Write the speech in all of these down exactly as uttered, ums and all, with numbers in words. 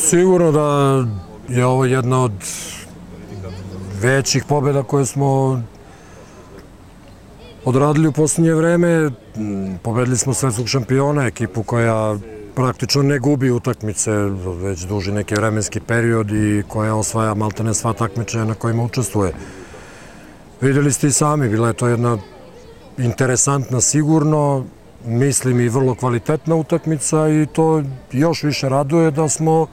Sigurno da je ovo jedna od većih pobjeda koje smo odradili u posljednje vreme. Pobedili smo svetskog šampiona, ekipu koja praktično ne gubi utakmice već duži neki vremenski period i koja osvaja maltene sva takmičenja na kojima učestvuje. Vidjeli ste i sami, bila je to jedna interesantna, sigurno, mislim i vrlo kvalitetna utakmica i to još više raduje da smo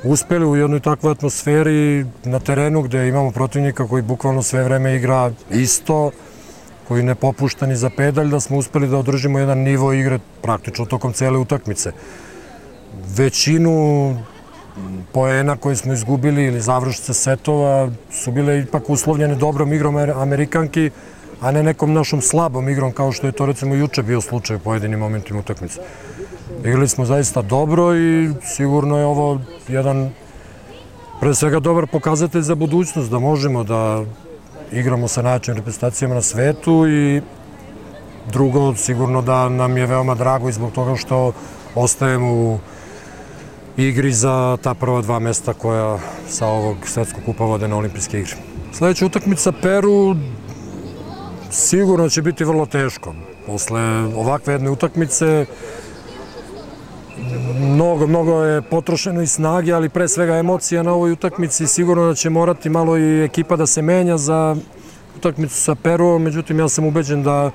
uspeli u jednoj takvoj atmosferi na terenu gde imamo protivnika koji bukvalno sve vreme igra isto, koji ne popušta ni za pedalj, da smo uspeli da održimo jedan nivo igre praktično tokom cele utakmice. Većinu poena koje smo izgubili ili završnice setova su bile ipak uslovljene dobrom igrom Amerikanki, a ne nekom našom slabom igrom kao što je to recimo juče bio slučaj u pojedinim momentima utakmice. Igrali smo zaista dobro i sigurno je ovo jedan pre svega dobar pokazatelj za budućnost, da možemo da igramo sa najjačim reprezentacijama na svetu i drugo, sigurno da nam je veoma drago i zbog toga što ostajemo u igri za ta prva dva mesta koja sa ovog svetskog kupa vode na olimpijske igre. Sljedeća utakmica Peru sigurno će biti vrlo teško. Posle ovakve jedne utakmice mnogo, mnogo je potrošeno i snage, ali pre svega emocija na ovoj utakmici. Sigurno da će morati malo i ekipa da se menja za utakmicu sa Peruom, međutim ja sam ubeđen da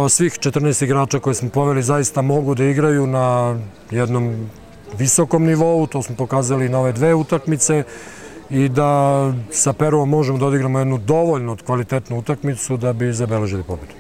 svih četrnaest igrača koje smo poveli zaista mogu da igraju na jednom visokom nivou, to smo pokazali na ove dve utakmice i da sa Peruom možemo da odigramo jednu dovoljno kvalitetnu utakmicu da bi zabeležili pobedu.